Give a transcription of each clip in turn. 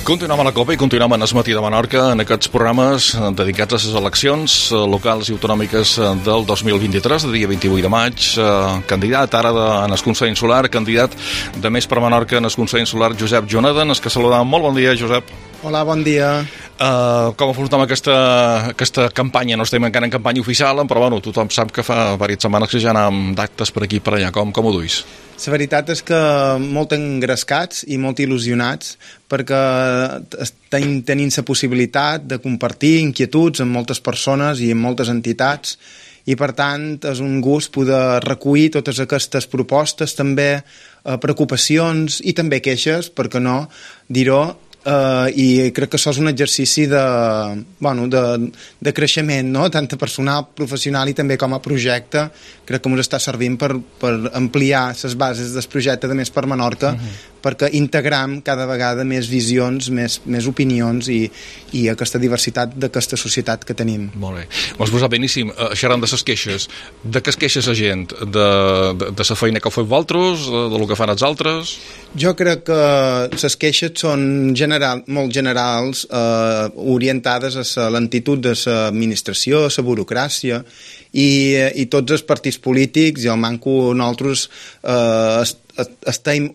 Continuem a la Copa i continuem en el matí de Menorca en aquests programes dedicats a les eleccions locals i autonòmiques del 2023, de dia 28 de maig. Candidat ara en el Consell Insular, candidat de Més per Menorca en el Consell Insular, Josep Joneden, que saludem. Molt bon dia, Josep. Hola, bon dia. Com afrontem aquesta campanya? No estem encara en campanya oficial, però bueno, tothom sap que fa diverses setmanes que ja anem d'actes per aquí i per allà. Com ho duis? La veritat és que molt engrescats i molt il·lusionats perquè tenim la possibilitat de compartir inquietuds amb moltes persones i amb moltes entitats i per tant és un gust poder recollir totes aquestes propostes, també preocupacions i també queixes, per què no dir-ho, i crec que això és un exercici de creixement, no? Tant personal, professional i també com a projecte. Crec que ens està servint per ampliar les bases del projecte de Més per Menorca, perquè integram cada vegada més visions, més opinions i aquesta diversitat d'aquesta societat que tenim. Molt bé. M'has posat beníssim. Xerrant de les queixes. De què es queixa la gent? De la feina que feu vosaltres? De lo que fan els altres? Jo crec que les queixes són molt generals, orientades a l'entitud de l'administració, a la burocràcia i tots els partits polítics i el manco nosaltres estem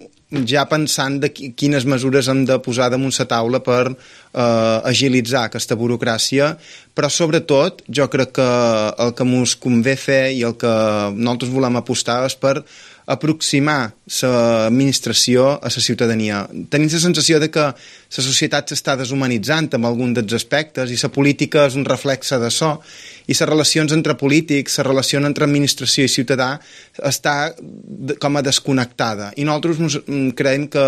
ja pensant de quines mesures hem de posar damunt la taula per agilitzar aquesta burocràcia, però sobretot jo crec que el que ens convé fer i el que nosaltres volem apostar és per aproximar l'administració a la ciutadania. Tenim la sensació de que la societat s'està deshumanitzant amb algun dels aspectes i la política és un reflexe d'això i les relacions entre polítics, la relació entre administració i ciutadà està com a desconnectada i nosaltres creiem que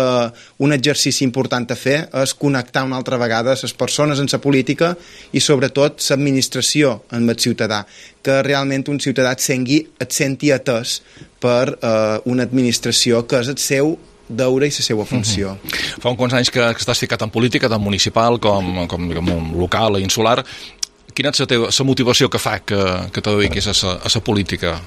un exercici important a fer és connectar una altra vegada les persones en la política i sobretot l'administració amb el ciutadà, que realment un ciutadà et senti atès per una administració que és el seu deure i la seva funció. Fa uns quants anys que estàs ficat en política, tant municipal com local i insular. Quina és la motivació que fa que te dediquis a la política?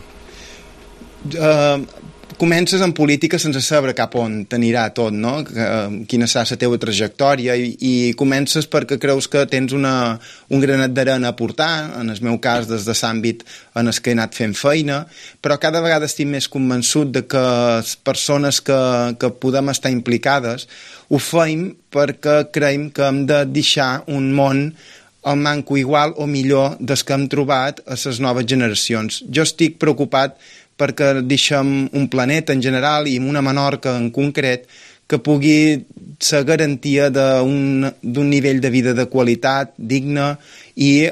Comences en política sense saber cap on t'anirà tot, no? Quina serà la teva trajectòria i comences perquè creus que tens un granet d'arena a portar, en el meu cas des de l'àmbit en el que he anat fent feina, però cada vegada estic més convençut de que les persones que podem estar implicades ho fem perquè creiem que hem de deixar un món el manco igual o millor des que hem trobat a les noves generacions. Jo estic preocupat perquè deixem un planeta en general i una Menorca en concret que pugui ser garantia d'un nivell de vida de qualitat, digne i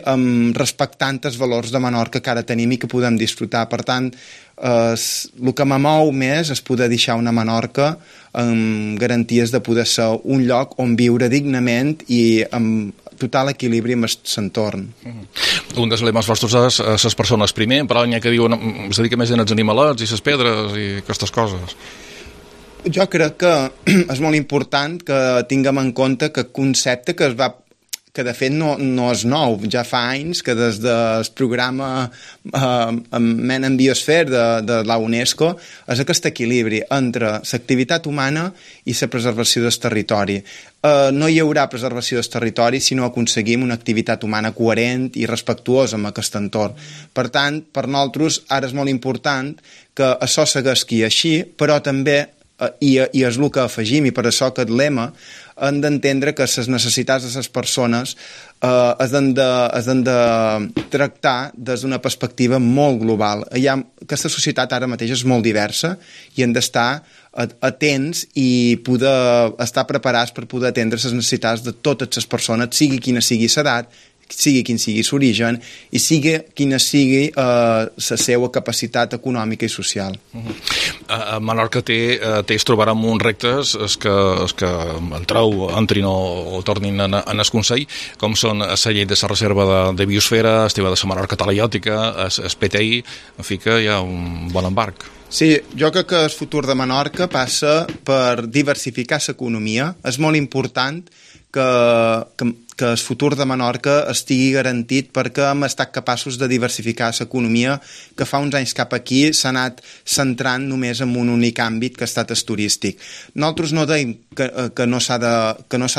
respectant els valors de Menorca que ara tenim i que podem disfrutar. Per tant, el que m'amou més és poder deixar una Menorca amb garanties de poder ser un lloc on viure dignament i amb total equilibri amb l'entorn. Un dels lemes vostres és les persones primer, però n'hi ha que diuen es dedica més als animalets i les pedres i aquestes coses. Jo crec que és molt important que tinguem en compte que concepte que de fet no és nou, ja fa anys que des del programa Men en Biosfera de la UNESCO és aquest equilibri entre l'activitat humana i la preservació del territori. No hi haurà preservació del territori si no aconseguim una activitat humana coherent i respectuosa amb aquest entorn. Per tant, per nosaltres ara és molt important que això segueixi així, però també i és el que afegim i per això aquest lema hem d'entendre que les necessitats de les persones es han de tractar des d'una perspectiva molt global. Aquesta societat ara mateix és molt diversa i hem d'estar atents i poder estar preparats per poder atendre les necessitats de totes les persones, sigui quina sigui l'edat, sigui quin sigui l'origen i sigui quina sigui la seva capacitat econòmica i social. A Menorca es trobarà amb uns reptes que entrin o tornin en el Consell, com són la llei de la reserva de biosfera, el tema de la Menorca talaiòtica, el PTI, en fi que hi ha un bon embarc. Sí, jo crec que el futur de Menorca passa per diversificar l'economia. És molt important que que el futur de Menorca estigui garantit perquè hem estat capaços de diversificar l'economia que fa uns anys cap aquí s'ha anat centrant només en un únic àmbit que ha estat el turístic. Nosaltres no deim que no s'ha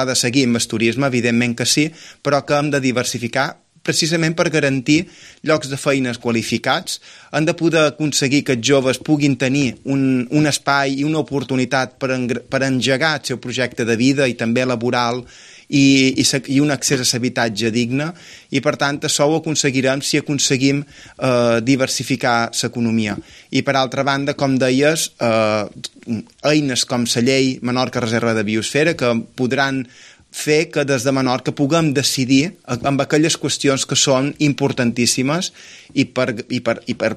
de seguir amb el turisme, evidentment que sí, però que hem de diversificar precisament per garantir llocs de feines qualificats. Han de poder aconseguir que els joves puguin tenir un espai i una oportunitat per engegar el seu projecte de vida i també laboral i un accés a l'habitatge digne, i per tant això ho aconseguirem si aconseguim diversificar l'economia. I per altra banda, com deies, eines com la llei Menorca Reserva de Biosfera que podran fer que des de Menorca puguem decidir amb aquelles qüestions que són importantíssimes i per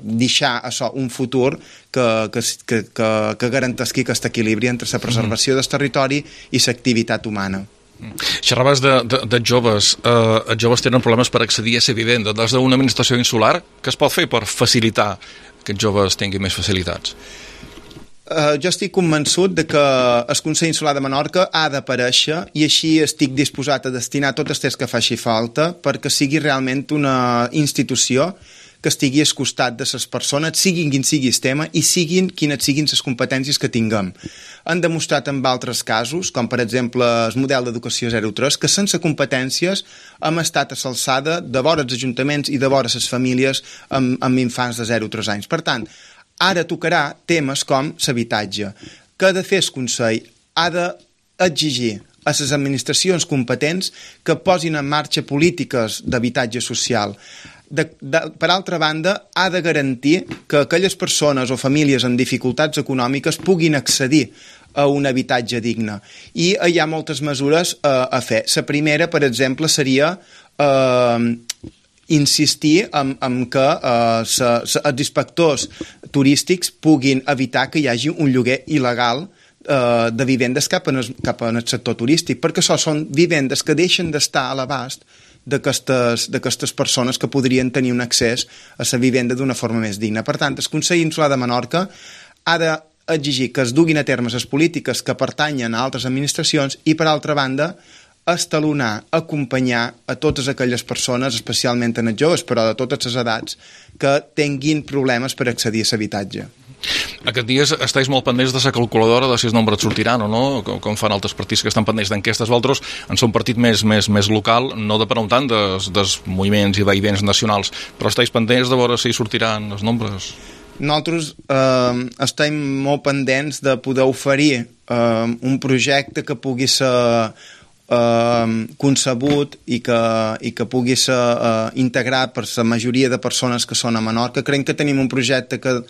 deixar això un futur que garanteixi aquest equilibri entre la preservació del territori i l'activitat humana. Xerraves de joves. Els joves tenen problemes per accedir a la vivenda. Des d'una administració insular, què es pot fer per facilitar que els joves tinguin més facilitats? Jo estic convençut de que el Consell Insular de Menorca ha d'aparèixer i així estic disposat a destinar tot el temps que faci falta perquè sigui realment una institució que estigui al costat de les persones, siguin quin sigui el tema i siguin quines siguin les competències que tinguem. Han demostrat en altres casos, com per exemple el model d'educació 0-3, que sense competències hem estat a l'alçada de vora els ajuntaments i de vora les famílies amb infants de 0-3 anys. Per tant, ara tocarà temes com l'habitatge. Què ha de fer el Consell? Ha d'exigir a les administracions competents que posin en marxa polítiques d'habitatge social. Per altra banda, ha de garantir que aquelles persones o famílies amb dificultats econòmiques puguin accedir a un habitatge digne. I hi ha moltes mesures a fer. La primera, per exemple, seria insistir en que els inspectors turístics puguin evitar que hi hagi un lloguer il·legal de vivendes cap en el sector turístic, perquè això són vivendes que deixen d'estar a l'abast d'aquestes persones que podrien tenir un accés a la vivenda d'una forma més digna. Per tant, el Consell Insular de Menorca ha d'exigir que es duguin a terme les polítiques que pertanyen a altres administracions i, per altra banda, estalonar, acompanyar a totes aquelles persones, especialment en els joves, però de totes les edats, que tinguin problemes per accedir a l'habitatge. Aquests dies estàs molt pendents de la calculadora de si els nombres sortiran o no, com fan altres partits que estan pendents d'enquestes. Vosaltres en són un partit més local, no de per un tant dels moviments i vaivents nacionals, però estàs pendents de veure si sortiran els nombres? Nosaltres estem molt pendents de poder oferir un projecte que pugui ser concebut i que pugui ser integrat per la majoria de persones que són a Menorca. Creiem que tenim un projecte que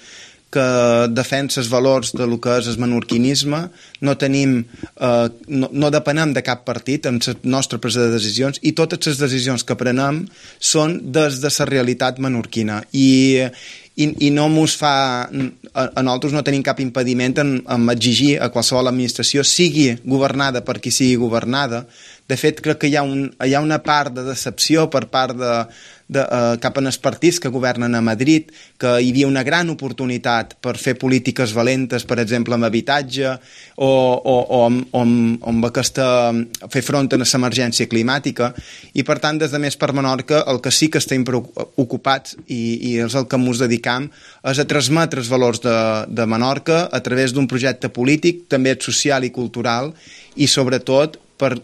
defensa els valors de lo que és el menorquinisme, no depenem de cap partit en la nostra presa de decisions i totes les decisions que prenem són des de la realitat menorquina i no mos fa, a nosaltres no tenim cap impediment en exigir a qualsevol administració, sigui governada per qui sigui governada. De fet, crec que hi ha una part de decepció per part cap en els partits que governen a Madrid, que hi havia una gran oportunitat per fer polítiques valentes, per exemple, amb habitatge o amb fer front a l'emergència climàtica, i per tant, des de Més per Menorca, el que sí que estem ocupats i és el que ens dedicam és a transmetre els valors de Menorca a través d'un projecte polític, també social i cultural, i sobretot per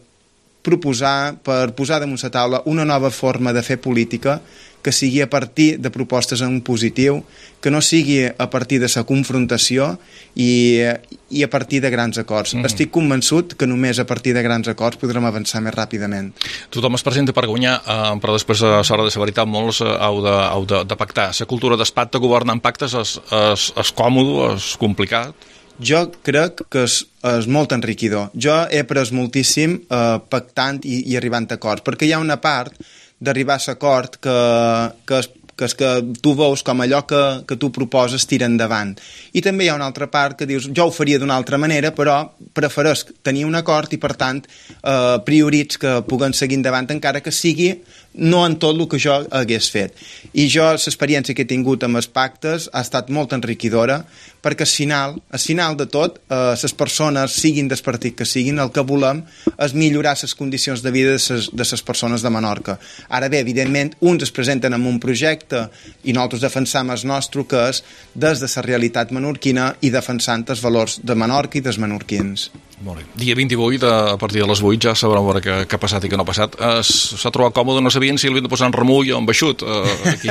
posar damunt la taula una nova forma de fer política que sigui a partir de propostes en positiu, que no sigui a partir de la confrontació i a partir de grans acords. Estic convençut que només a partir de grans acords podrem avançar més ràpidament. Tothom es presenta per guanyar, però després a l'hora de la veritat molts heu de pactar. La cultura d'espacte, governar en pactes és còmode, és complicat? Jo crec que és molt enriquidor. Jo he après moltíssim pactant i arribant a acords, perquè hi ha una part d'arribar a l'acord que és que tu veus com allò que tu proposes tira endavant. I també hi ha una altra part que dius, jo ho faria d'una altra manera, però prefereix tenir un acord i, per tant, prioritz que puguen seguir endavant, encara que sigui no en tot el que jo hagués fet. I jo, l'experiència que he tingut amb els pactes ha estat molt enriquidora, perquè al final de tot, les persones, siguin del partit que siguin, el que volem és millorar les condicions de vida de les persones de Menorca. Ara bé, evidentment, uns es presenten amb un projecte i nosaltres defensam el nostre, que és des de la realitat menorquina i defensant els valors de Menorca i dels menorquins. Molt bé. Dia 28, a partir de les 8, ja sabrem veure què ha passat i què no ha passat. S'ha trobat còmode, no sabien si l'havien de posar en remull o en baixut. Aquí.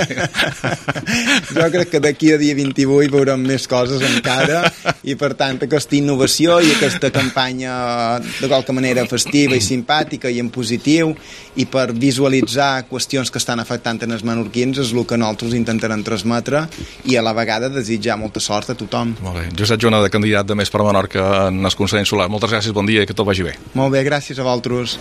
Jo crec que d'aquí a dia 28 veurem més coses encara i, per tant, aquesta innovació i aquesta campanya de qualque manera festiva i simpàtica i en positiu i per visualitzar qüestions que estan afectant en els menorquins és el que nosaltres intentarem transmetre i a la vegada desitjar molta sort a tothom. Molt bé. Josep Jonada, candidat de Més per Menorca en el Consell Insular. Moltes gràcies, bon dia i que tot vagi bé. Molt bé, gràcies a vosaltres.